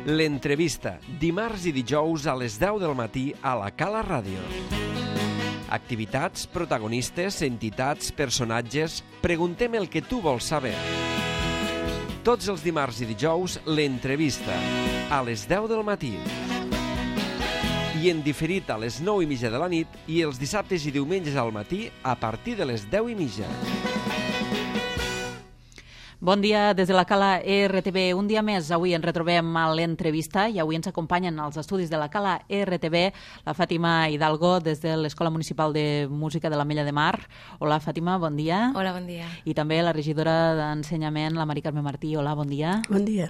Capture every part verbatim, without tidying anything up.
L'entrevista, dimarts i dijous a les deu del matí a la Cala Ràdio. Activitats, protagonistes, entitats, personatges... Preguntem el que tu vols saber. Tots els dimarts i dijous, l'entrevista, a les deu del matí. I en diferit a les nou i mitja de la nit i els dissabtes i diumenges al matí a partir de les deu i mitja. Bon dia des de la Cala R T V. Un dia més, avui ens retrobem a l'entrevista i avui ens acompanyen als estudis de la Cala R T V la Fàtima Hidalgo des de l'Escola Municipal de Música de l'Ametlla de Mar. Hola, Fàtima, bon dia. Hola, bon dia. I també la regidora d'Ensenyament, la Mari Carme Martí. Hola, bon dia. Bon dia.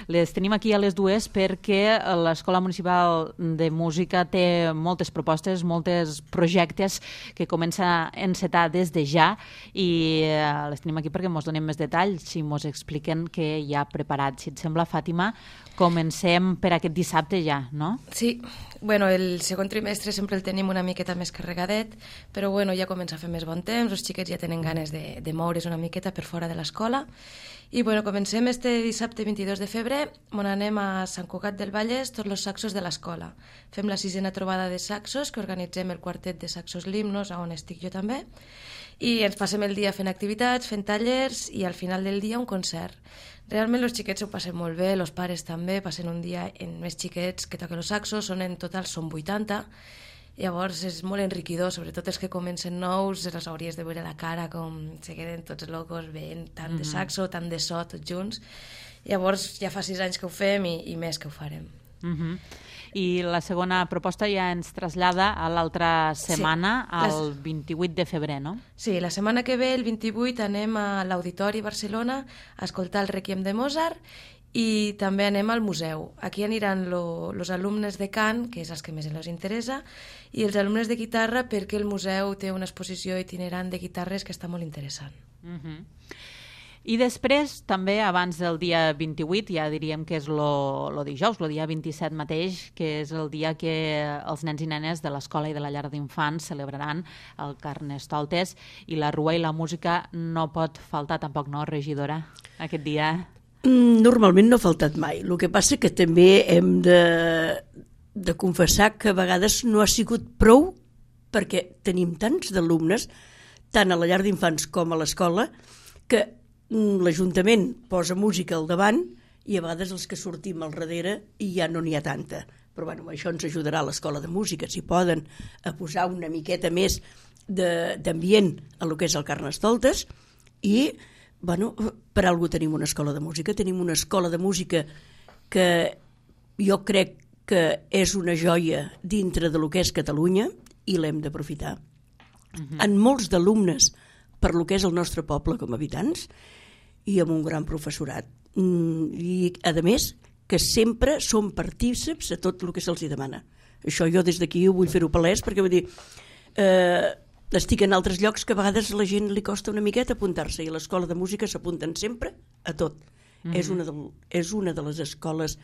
Les tenim aquí a les dues perquè l'Escola Municipal de Música té moltes propostes, molts projectes que comença a encetar des de ja i les tenim aquí perquè ens donem més detalls i ens expliquen què hi ha preparat. Si et sembla, Fàtima, comencem per aquest dissabte ja, no? Sí, bueno, el segon trimestre sempre el tenim una miqueta més carregadet, però bueno, ja comença a fer més bon temps, els xiquets ja tenen ganes de, de moure's una miqueta per fora de l'escola. I bueno, comencem este dissabte vint-i-dos de febrer, on anem a Sant Cugat del Vallès, tots els saxos de l'escola. Fem la sisena trobada de saxos, que organitzem el quartet de saxos Limnos, on estic jo també, i ens passem el dia fent activitats, fent tallers i al final del dia un concert. Realment els xiquets s'ho passen molt bé, els pares també, passen un dia en més xiquets que toquen els saxos, són en total són vuitanta, llavors és molt enriquidor, sobretot els que comencen nous, els hauries de veure la cara com se queden tots locos veient tant mm-hmm. de saxo, tant de so, tots junts. Llavors ja fa sis anys que ho fem i, i més que ho farem. Mm-hmm. I la segona proposta ja ens trasllada a l'altra setmana, sí, al les... vint-i-vuit de febrer, no? Sí, la setmana que ve, el vint-i-vuit, anem a l'Auditori Barcelona a escoltar el Requiem de Mozart i també anem al museu. Aquí aniran els alumnes de cant, que és els que més els interessa, i els alumnes de guitarra perquè el museu té una exposició itinerant de guitarres que està molt interessant. Uh-huh. I després, també, abans del dia vint-i-vuit, ja diríem que és el dijous, el dia vint-i-set mateix, que és el dia que els nens i nenes de l'escola i de la llar d'infants celebraran el Carnestoltes i la rua i la música no pot faltar tampoc, no, regidora, aquest dia? Normalment no ha faltat mai. El que passa que també hem de, de confessar que a vegades no ha sigut prou perquè tenim tants d'alumnes, tant a la llar d'infants com a l'escola, que l'Ajuntament posa música al davant i a vegades els que sortim al darrere i ja no n'hi ha tanta. Però bueno, això ens ajudarà a l'Escola de Música, si poden, a posar una miqueta més d'ambient a lo que és el Carnestoltes i, bueno, per algú tenim una escola de música, tenim una escola de música que jo crec que és una joia dintre de lo que és Catalunya i l'hem d'aprofitar. Uh-huh. En molts d'alumnes per lo que és el nostre poble com a habitants i amb un gran professorat. I, a més, que sempre són partícips a tot el que se'ls demana. Això jo des d'aquí ho vull fer-ho palès perquè vull dir, eh, estic en altres llocs que a vegades a la gent li costa una miqueta apuntar-se i a l'Escola de Música s'apunten sempre a tot. Mm-hmm. És, una de, és una de les escoles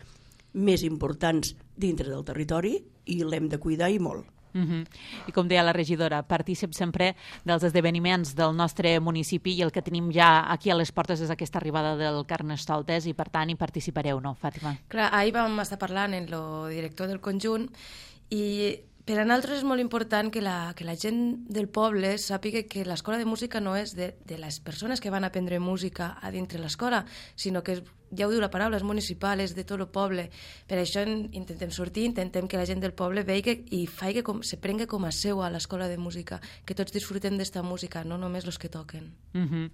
més importants dintre del territori i l'hem de cuidar i molt. Uh-huh. I com deia la regidora, partícip sempre dels esdeveniments del nostre municipi i el que tenim ja aquí a les portes és aquesta arribada del Carnestoltes i per tant hi participareu, no, Fàtima? Clar, ahir vam estar parlant amb el director del conjunt i per a nosaltres és molt important que la, que la gent del poble sàpiga que l'escola de música no és de, de les persones que van aprendre música a dintre l'escola, sinó que, ja ho diu la paraula, és municipal, és de tot el poble. Per això intentem sortir, intentem que la gent del poble vegi i faci com, se prengui com a seu a l'escola de música, que tots disfrutem d'esta música, no només els que toquen. Mhm.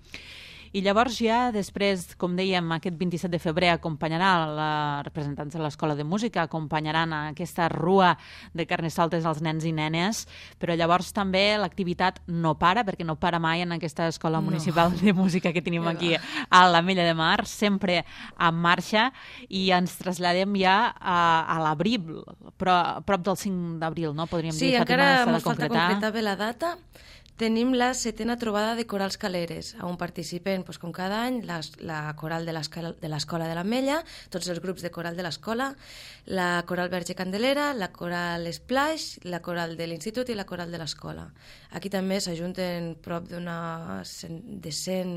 I llavors ja després, com dèiem, aquest vint-i-set de febrer acompanyarà la representants de l'Escola de Música, acompanyaran a aquesta rua de Carnestoltes als nens i nenes, però llavors també l'activitat no para, perquè no para mai en aquesta Escola no. Municipal de Música que tenim aquí a l'Ametlla de Mar, sempre en marxa, i ens traslladem ja a, a l'abril, però a prop del cinc d'abril, no? Podríem sí, dir, Fàtima, s'ha de ens falta concretar bé la data, tenim la setena trobada de corals caleres, on participen, doncs, com cada any, la, la coral de l'Escola de l'Ametlla, tots els grups de coral de l'escola, la coral Verge Candelera, la coral Splash, la coral de l'institut i la coral de l'escola. Aquí també s'ajunten prop d'una de cent,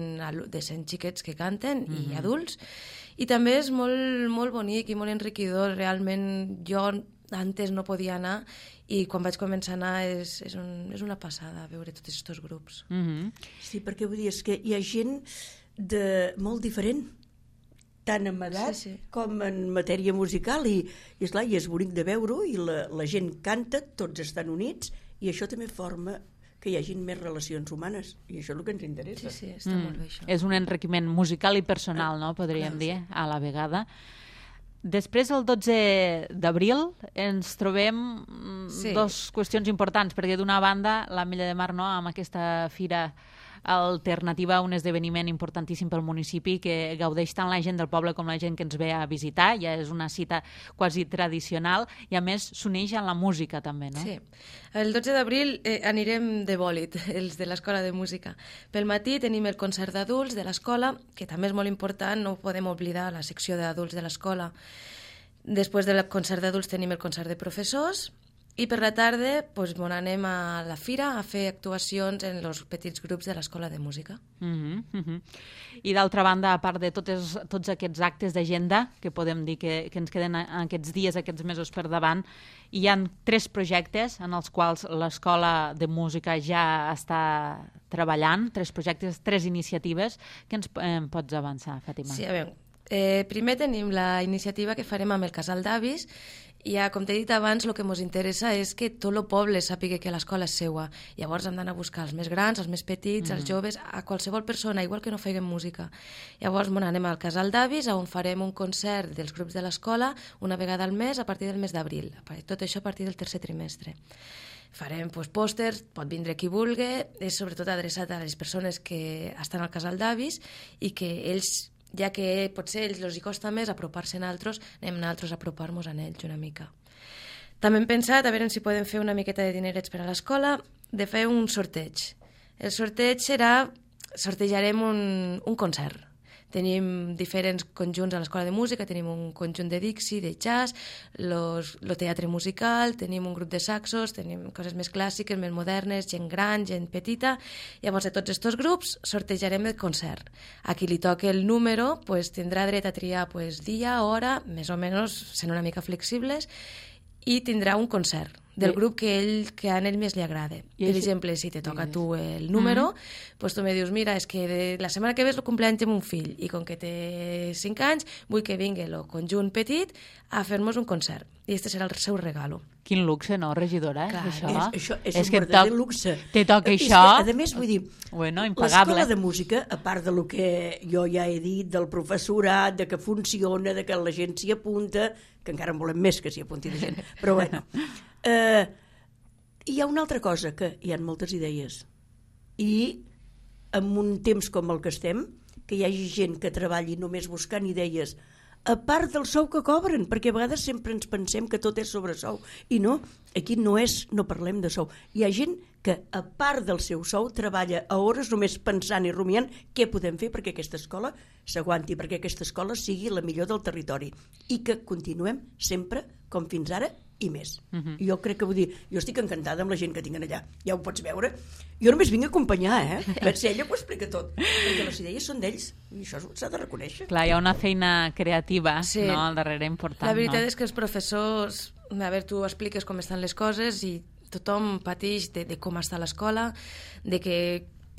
de cent xiquets que canten mm-hmm. i adults, i també és molt, molt bonic i molt enriquidor. Realment jo antes no podia anar i quan vaig començar a anar és, és, un, és una passada veure tots aquests grups. Mm-hmm. Sí, perquè vull dir, és que hi ha gent de molt diferent, tant en edat sí, sí. com en matèria musical, i, i esclar, i és bonic de veure-ho, i la, la gent canta, tots estan units, i això també forma que hi hagin més relacions humanes, i això és el que ens interessa. Sí, sí, està mm. molt bé això. És un enriquiment musical i personal, no?, podríem Clar, dir, sí. a la vegada. Després, el dotze d'abril, ens trobem sí. dos qüestions importants, perquè d'una banda, l'Ametlla de Mar, no?, amb aquesta fira alternativa, un esdeveniment importantíssim pel municipi que gaudeix tant la gent del poble com la gent que ens ve a visitar, ja és una cita quasi tradicional i a més s'uneix a la música també, no? Sí, el dotze d'abril eh, anirem de bòlit, els de l'Escola de Música. Pel matí tenim el concert d'adults de l'escola, que també és molt important, no podem oblidar la secció d'adults de l'escola. Després del concert d'adults tenim el concert de professors, i per la tarda doncs, bon, anem a la fira a fer actuacions en els petits grups de l'Escola de Música. Uh-huh, uh-huh. I d'altra banda, a part de totes, tots aquests actes d'agenda que podem dir que, que ens queden aquests dies, aquests mesos per davant, hi ha tres projectes en els quals l'Escola de Música ja està treballant, tres projectes, tres iniciatives. Què ens eh, pots avançar, Fàtima? Sí, a veure, eh, primer tenim la iniciativa que farem amb el Casal d'Avis. Ja, com t'he dit abans, el que ens interessa és que tot el poble sàpiga que l'escola és seua. Llavors hem d'anar a buscar els més grans, els més petits, mm. els joves, a qualsevol persona, igual que no feien música. Llavors bueno, anem al Casal d'Avis, on farem un concert dels grups de l'escola una vegada al mes a partir del mes d'abril. Tot això a partir del tercer trimestre. Farem doncs, pòsters, pot vindre qui vulgui, és sobretot adreçat a les persones que estan al Casal d'Avis i que ells, ja que potser ells els hi costa més apropar-se a altres, anem nosaltres a apropar-nos a ells una mica. També hem pensat a veure si podem fer una miqueta de dinerets per a l'escola, de fer un sorteig. El sorteig serà, sortejarem un, un concert. Tenim diferents conjunts a l'Escola de Música, tenim un conjunt de Dixi, de jazz, los, lo teatre musical, tenim un grup de saxos, tenim coses més clàssiques, més modernes, gent gran, gent petita. Llavors, de tots aquests grups, sortejarem el concert. A qui li toque el número, pues, tindrà dret a triar pues, dia, hora, més o menys sent una mica flexibles, i tindrà un concert del grup que, ell, que a ell més li agrada. Per exemple, si te toca a tu el número, mm-hmm. pues tu me dius, mira, és que de la setmana que ve és el cumpleaños de mon fill i com que té cinc anys, vull que vingui el conjunt petit a fer-nos un concert. I este serà el seu regalo. Quin luxe, no, regidora? Eh? Clar, això. És, això és, és un verdader luxe. Te toca és això? Que, a més, vull dir, bueno, impagable. L'Escola de Música, a part del que jo ja he dit, del professorat, de que funciona, de que la gent s'hi apunta, que encara en volem més que s'hi apunti de gent, però bueno... Eh, hi ha una altra cosa, que hi ha moltes idees. I en un temps com el que estem, que hi hagi gent que treballi només buscant idees, a part del sou que cobren, perquè a vegades sempre ens pensem que tot és sobre sou. I no, aquí no és, no parlem de sou. Hi ha gent que, a part del seu sou, treballa a hores només pensant i rumiant què podem fer perquè aquesta escola s'aguanti, perquè aquesta escola sigui la millor del territori i que continuem sempre, com fins ara, i més. Uh-huh. Jo crec que vull dir, jo estic encantada amb la gent que tinguin allà, ja ho pots veure. Jo només vinc a acompanyar, eh? Per ser ella ho explica tot, perquè les idees són d'ells i això s'ha de reconèixer. Clar, hi ha una feina creativa, sí. no?, al darrere important. La veritat no? és que els professors, a veure, tu expliques com estan les coses i tothom pateix de, de com està l'escola, de que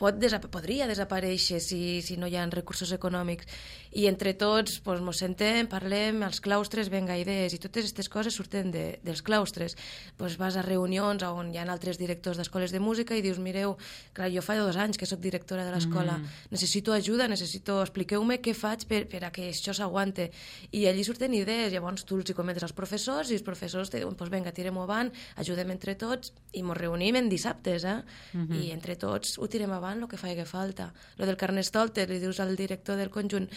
pot desap podria desaparèixer si, si no hi ha recursos econòmics. I entre tots pues, mos sentem, parlem, als claustres venga idees, i totes aquestes coses surten de, dels claustres. Pues vas a reunions on hi ha altres directors d'escoles de música i dius, mireu, clar, jo fa dos anys que sóc directora de l'escola, mm. necessito ajuda, necessito, expliqueu-me què faig per, per a que això s'aguante. I allí surten idees, llavors tu els hi comentes als professors i els professors te diuen, pues venga, tirem-ho avant, ajudem entre tots i mos reunim en dissabtes, eh? Mm-hmm. I entre tots ho tirem avant el que faci falta. Lo del carnestoltes, li dius al director del conjunt,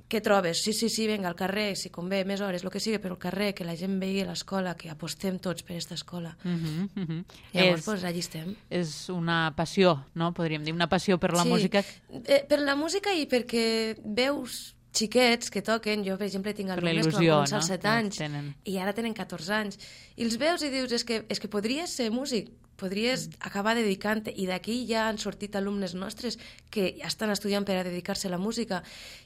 què trobes? Sí, sí, sí, vinga, al carrer, si convé, més hores, el que sigui, però al carrer, que la gent vegi l'escola, que apostem tots per aquesta escola. Uh -huh, uh -huh. Llavors, és, pues, allà estem. És una passió, no? Podríem dir, una passió per la sí, música. Eh, per la música i perquè veus xiquets que toquen, jo per exemple tinc alumnes que van començar als set anys tenen. i ara tenen catorze anys, i els veus i dius, és que, és que podries ser músic, podries acabar dedicant-te, i d'aquí ja han sortit alumnes nostres que ja estan estudiant per a dedicar-se a la música,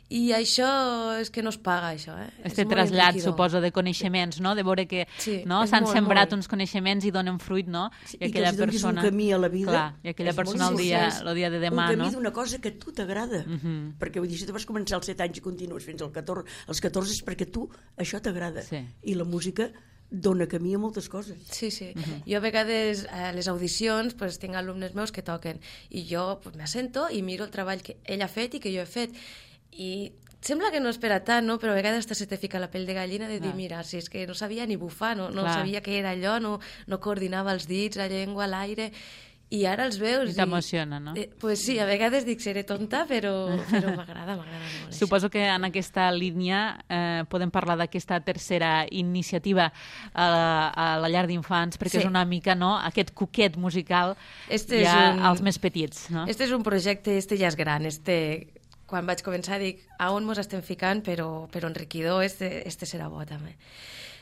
i això és que no es paga, això. Eh? Este trasllat, suposo, de coneixements, no? De veure que sí, no? s'han sembrat molt. uns coneixements i donen fruit, no? Sí, I, aquella I que els persona... un camí a la vida. Clar, i aquella persona el dia, el dia de demà, un no? camí d'una cosa que a tu t'agrada. Uh -huh. Perquè vull dir, si tu vas començar als set anys i continues fins als catorze, als catorze és perquè tu això t'agrada. Sí. I la música dona camí a moltes coses. Sí, sí. Uh-huh. Jo a vegades a les audicions pues, tinc alumnes meus que toquen i jo pues, m'assento i miro el treball que ell ha fet i que jo he fet. I sembla que no és per a tant, no? Però a vegades hasta se te fica la pell de gallina de dir, ah. mira, si és que no sabia ni bufar, no, no sabia què era allò, no, no coordinava els dits, la llengua, l'aire... I ara els veus... I t'emociona, no? Eh, pues sí, a vegades dic seré tonta, però, però m'agrada, m'agrada molt. Suposo que en aquesta línia eh, podem parlar d'aquesta tercera iniciativa a, a la llar d'infants, perquè sí. és una mica, no?, aquest coquet musical este ja un... als més petits, no? Este és un projecte, este ja és gran, este... Quan vaig començar dic, a on mos estem ficant, però, però enriquidor, este, este serà bo també.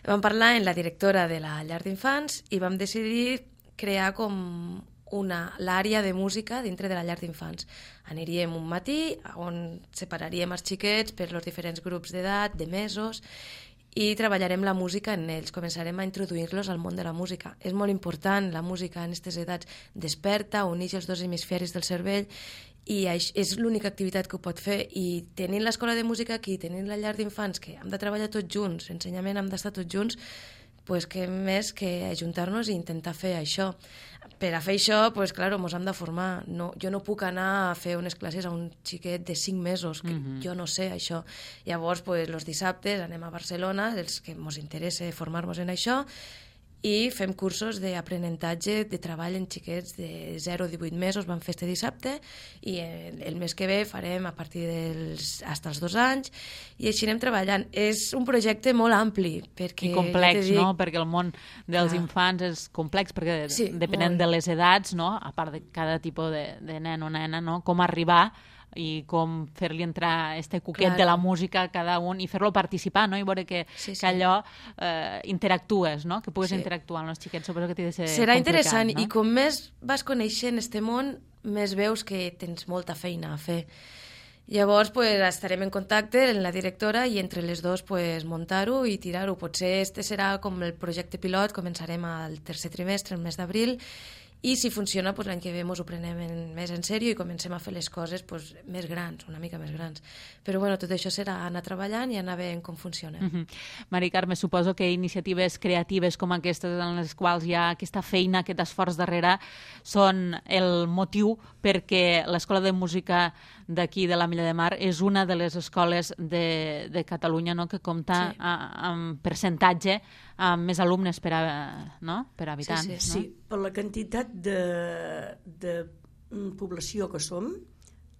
Vam parlar amb la directora de la llar d'infants i vam decidir crear com una l'àrea de música dintre de la llar d'infants. Aniríem un matí on separaríem els xiquets per els diferents grups d'edat, de mesos, i treballarem la música en ells, començarem a introduir-los al món de la música. És molt important, la música en aquestes edats desperta, uneix els dos hemisferis del cervell, i és l'única activitat que ho pot fer, i tenint l'escola de música aquí, tenint la llar d'infants, que hem de treballar tots junts, ensenyament hem d'estar tots junts, pues que més que ajuntar-nos i intentar fer això. Per a fer això, pues, claro, mos hem de formar. No, jo no puc anar a fer unes classes a un xiquet de cinc mesos, que mm-hmm. jo no sé això. Llavors, pues, els dissabtes anem a Barcelona, els que mos interessa formar-nos en això, i fem cursos d'aprenentatge de treball en xiquets de zero a divuit mesos, vam fer este dissabte, i el, el mes que ve farem a partir dels fins als dos anys, i així anem treballant. És un projecte molt ampli. Perquè, i complex, dic, no? Perquè el món dels clar. infants és complex, perquè sí, depenent molt. de les edats, no? A part de cada tipus de, de nen o nena, no? Com arribar i com fer-li entrar este coquet claro. de la música a cada un i fer-lo participar, no? I veure que, sí, sí. que allò eh, interactues, no? Que pugues sí. interactuar amb els xiquets, suposo que t'hi de ser serà interessant, no? I com més vas coneixent este món, més veus que tens molta feina a fer. Llavors, pues, estarem en contacte amb la directora i entre les dues pues, muntar-ho i tirar-ho. Potser este serà com el projecte pilot, començarem al tercer trimestre, el mes d'abril, i si funciona, pues, l'any que ve ens ho prenem en, més en sèrio i comencem a fer les coses pues, més grans, una mica més grans. Però bueno, tot això serà anar treballant i anar veient com funciona. Mm-hmm. Mari Carme, suposo que iniciatives creatives com aquestes en les quals hi ha aquesta feina, aquest esforç darrere, són el motiu perquè l'Escola de Música d'aquí de la Milla de Mar és una de les escoles de, de Catalunya, no?, que compta sí. a, amb percentatge amb més alumnes per, a, no? per habitant. Sí, sí, sí. No? Per la quantitat de, de població que som,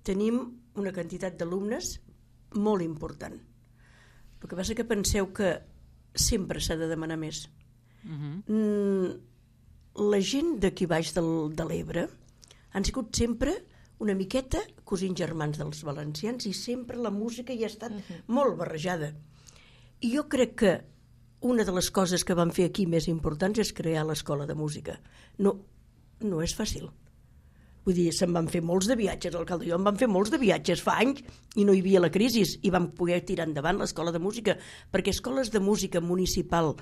tenim una quantitat d'alumnes molt important. El que passa que penseu que sempre s'ha de demanar més. Uh-huh. La gent d'aquí baix del, de l'Ebre han sigut sempre una miqueta cosins germans dels valencians i sempre la música hi ha estat uh-huh. molt barrejada. I jo crec que una de les coses que vam fer aquí més importants és crear l'escola de música. No, no és fàcil. Vull dir, se'n van fer molts de viatges, l'alcalde i jo en vam fer molts de viatges fa anys i no hi havia la crisi i vam poder tirar endavant l'escola de música, perquè escoles de música municipal,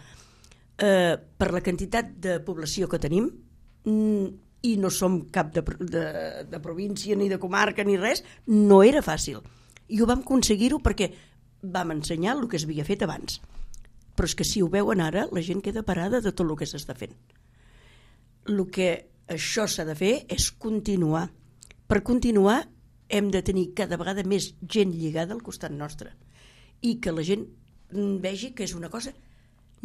eh, per la quantitat de població que tenim, i no som cap de, de, de província ni de comarca ni res, no era fàcil. I ho vam aconseguir-ho perquè vam ensenyar el que es havia fet abans. Però és que si ho veuen ara, la gent queda parada de tot el que s'està fent. El que això s'ha de fer és continuar. Per continuar hem de tenir cada vegada més gent lligada al costat nostre i que la gent vegi que és una cosa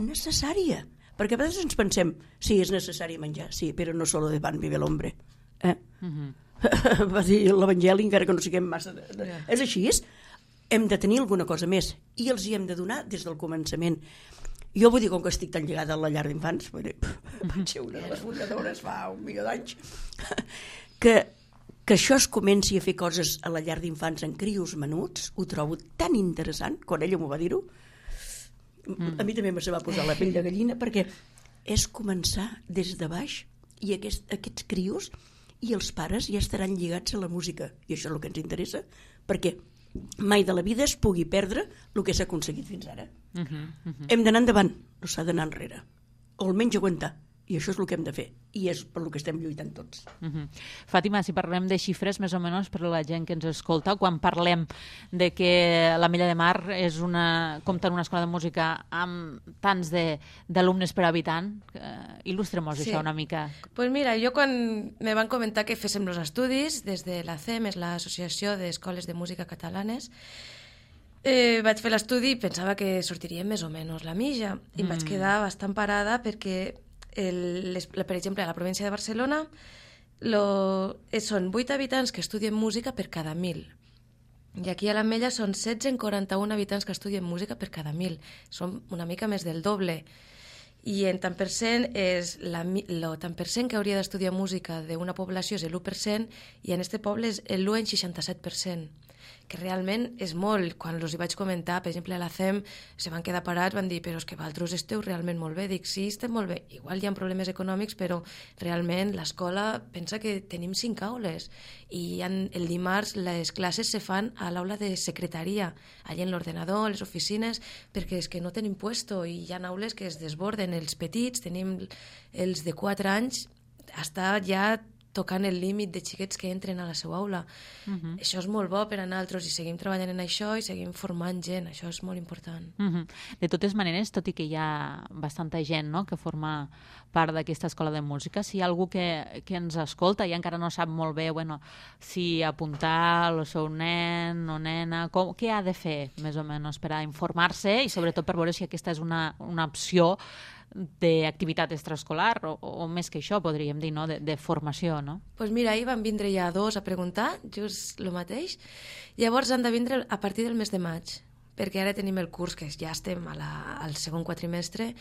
necessària. Perquè a vegades ens pensem, sí, és necessari menjar, sí, però no solo de pan vive l'hombre. Eh? Uh-huh. Va dir l'Evangeli, encara que no siguem massa... De, de... Yeah. És així, és... hem de tenir alguna cosa més i els hi hem de donar des del començament. Jo vull dir, com que estic tan lligada a la llar d'infants, vaig ser una de les fundadores fa un milió d'anys, que, que això es comenci a fer coses a la llar d'infants en crios menuts, ho trobo tan interessant, quan ella m'ho va dir-ho, mm. a mi també me se va posar la pell de gallina, perquè és començar des de baix i aquest, aquests crios i els pares ja estaran lligats a la música, i això és el que ens interessa, perquè mai de la vida es pugui perdre el que s'ha aconseguit fins ara. Uh -huh, uh -huh. Hem d'anar endavant, no s'ha d'anar enrere. O almenys aguantar. I això és el que hem de fer. I és per el que estem lluitant tots. Uh -huh. Fàtima, si parlem de xifres, més o menys, per la gent que ens escolta, quan parlem de que l'Ametlla de Mar és una, compta en una escola de música amb tants d'alumnes per habitant, eh, il·lustrem-nos sí. això una mica. Doncs pues mira, jo quan me van comentar que féssim els estudis, des de l'A C E M, és l'Associació d'Escoles de Música Catalanes, Eh, vaig fer l'estudi i pensava que sortiria més o menys la mitja i em mm. vaig quedar bastant parada perquè el, les, per exemple a la província de Barcelona lo, eh, són vuit habitants que estudien música per cada mil i aquí a l'Ametlla són setze en quaranta-un habitants que estudien música per cada mil, són una mica més del doble i en tant per cent és la, lo tant per cent que hauria d'estudiar música d'una població és l'u per cent i en este poble és l'u en seixanta-set per cent, que realment és molt. Quan els hi vaig comentar, per exemple, a la C E M, se van quedar parats, van dir, però és que vosaltres esteu realment molt bé. Dic, sí, estem molt bé. Igual hi ha problemes econòmics, però realment l'escola pensa que tenim cinc aules i en, el dimarts les classes se fan a l'aula de secretaria, allà en l'ordenador, les oficines, perquè és que no tenim puesto i hi ha aules que es desborden. Els petits, tenim els de quatre anys, està ja tocant el límit de xiquets que entren a la seva aula. Uh-huh. Això és molt bo per a nosaltres i seguim treballant en això i seguim formant gent, això és molt important. Uh-huh. De totes maneres, tot i que hi ha bastanta gent, no?, que forma part d'aquesta escola de música, si hi ha algú que, que ens escolta i encara no sap molt bé bueno, si apuntar el seu nen o nena, com, què ha de fer més o menys per a informar-se i sobretot per veure si aquesta és una, una opció d'activitat extraescolar o, o més que això, podríem dir, no? de, de formació, no? Doncs pues mira, ahir van vindre ja dos a preguntar, just el mateix. Llavors han de vindre a partir del mes de maig, perquè ara tenim el curs, que ja estem a la, al segon quatrimestre.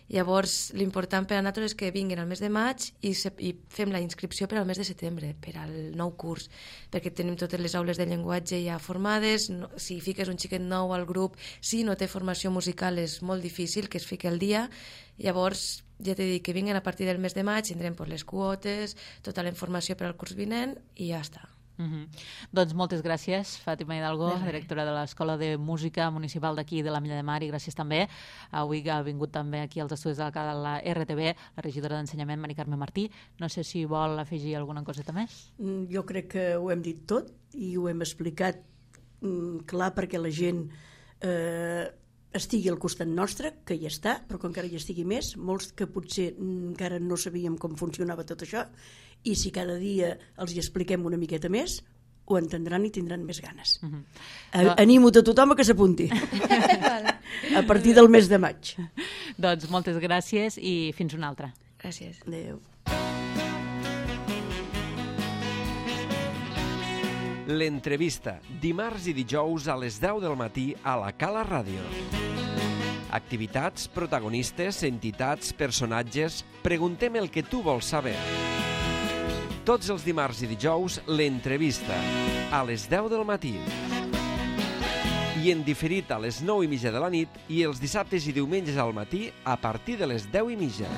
Llavors, l'important per a nosaltres és que vinguin al mes de maig i, se, i fem la inscripció per al mes de setembre, per al nou curs, perquè tenim totes les aules de llenguatge ja formades. No, si fiques un xiquet nou al grup, si no té formació musical és molt difícil que es fiqui al dia. Llavors, ja t'he dit que vinguin a partir del mes de maig, tindrem pues, les quotes, tota la informació per al curs vinent i ja està. Uh-huh. Doncs moltes gràcies, Fàtima Hidalgo, directora de l'Escola de Música Municipal d'aquí de l'Ametlla de Mar, i gràcies també avui que ha vingut també aquí als estudis de la, la R T V la regidora d'Ensenyament, Mari Carme Martí. No sé si vol afegir alguna coseta més. Jo crec que ho hem dit tot i ho hem explicat mm, clar perquè la gent eh, estigui al costat nostre, que hi està, però que encara hi estigui més, molts que potser encara no sabíem com funcionava tot això, i si cada dia els hi expliquem una miqueta més, ho entendran i tindran més ganes. Uh-huh. A- Animo a tothom a que s'apunti a partir del mes de maig. Doncs moltes gràcies i fins una altra. Gràcies. Adéu. L'entrevista, dimarts i dijous a les deu del matí a la Cala Ràdio. Activitats, protagonistes, entitats, personatges... Preguntem el que tu vols saber. Tots els dimarts i dijous, l'entrevista, a les deu del matí. I en diferit a les nou i mitja de la nit i els dissabtes i diumenges al matí a partir de les deu i mitja.